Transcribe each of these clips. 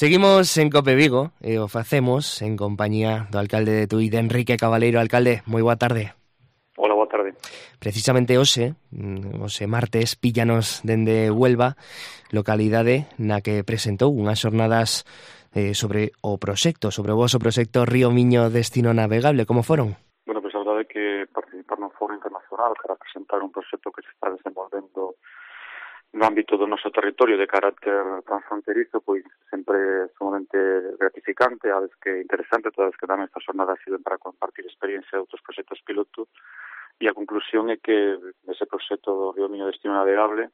Seguimos en Cope Vigo e o facemos en compañía do alcalde de Tui, de Enrique Cabaleiro. Alcalde, moi boa tarde. Hola, boa tarde. Precisamente hoxe martes, píllanos dende Huelva, localidade na que presentou unhas xornadas sobre o voso proxecto Río Miño Destino Navegable. Como foron? Bueno, pois a verdade é que participar nun foro internacional para presentar un proxecto que se está desenvolvendo no ámbito do noso territorio de carácter transfronterizo, pois sempre é sumamente gratificante, a vez que interesante, todas as que dan estas jornadas sirven para compartir experiencia de outros proxectos piloto, e a conclusión é que ese proxecto do Río Miño Destino Navegable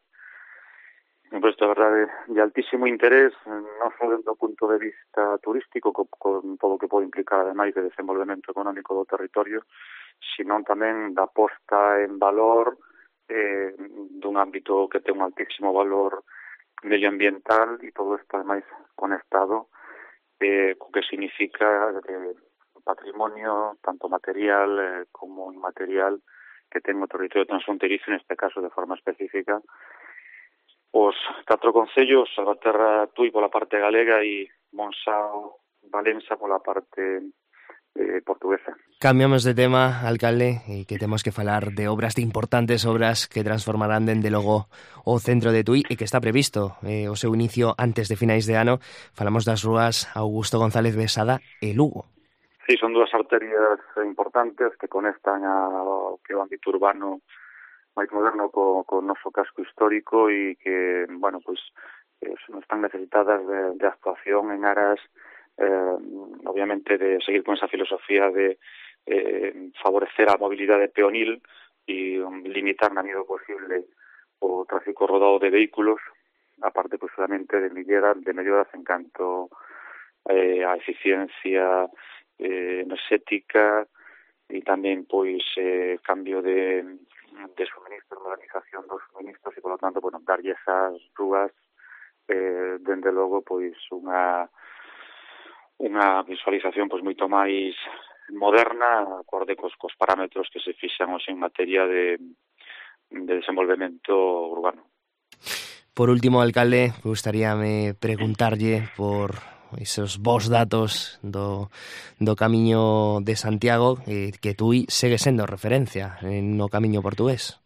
un proxecto, de verdade, de altísimo interés, non só dentro do punto de vista turístico, con todo o que pode implicar, ademais, de desenvolvemento económico do territorio, sino tamén da posta en valor dun ámbito que ten un altísimo valor medioambiental, e todo isto ademais conectado co que significa o patrimonio tanto material como inmaterial que ten o territorio transfronterizo, neste caso de forma específica os 4 concellos, Salvaterra, Tui pola parte galega e Monxao, Valença pola parte portuguesa. Cambiamos de tema, alcalde, e que temos que falar de obras, de importantes obras que transformarán dende logo o centro de Tui e que está previsto o seu inicio antes de finais de ano. Falamos das rúas Augusto González Besada e Lugo. Sí, son dúas arterias importantes que conectan ao que é o ámbito urbano máis moderno co noso casco histórico e que, bueno, pois están necesitadas de actuación en aras obviamente de seguir con esa filosofía de favorecer a mobilidade peonil e limitar na medida posible o tráfico rodado de vehículos, aparte, pues, solamente de melloras en canto a eficiencia enerxética e tamén, pois, cambio de suministros, modernización dos suministros e, por lo tanto, bueno, darlle esas rúas dende logo, pois, unha visualización pois moito máis moderna, acorde cos parámetros que se fixan hoxe en materia de desenvolvemento urbano. Por último, alcalde, gustaríame preguntarlle por esos vos datos do Camiño de Santiago, que Tui segue sendo referencia no Camiño portugués.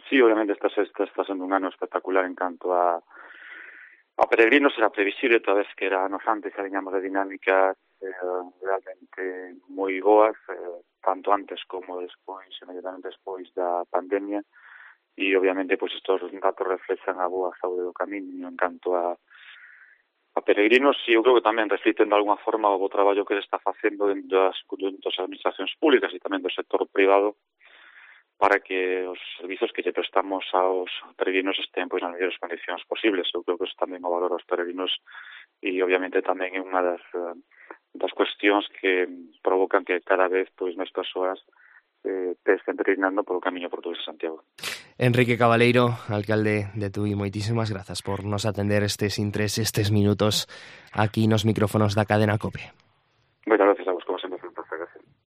Sí, obviamente está sendo un ano espectacular en canto a peregrinos. Era previsible, toda vez que era anos antes que viñamos de dinámicas realmente moi boas, tanto antes como despois, inmediatamente despois da pandemia, e obviamente pois estos datos reflexan a boa saúde do Camiño en canto a peregrinos, e eu creo que tamén refliten de alguna forma o bo traballo que se está facendo dentro das administracións públicas e tamén do sector privado para que os servizos que lle prestamos aos peregrinos estén pois nas mellores condicións posibles. Eu creo que eso tamén o valor aos peregrinos e obviamente tamén é unha das cuestións que provocan que cada vez pois máis persoas estén peregrinando polo Camiño portugués de Santiago. Enrique Cabaleiro, alcalde de Tui, moitísimas grazas por nos atender estes minutos aquí nos micrófonos da cadena COPE. Moitas gracias.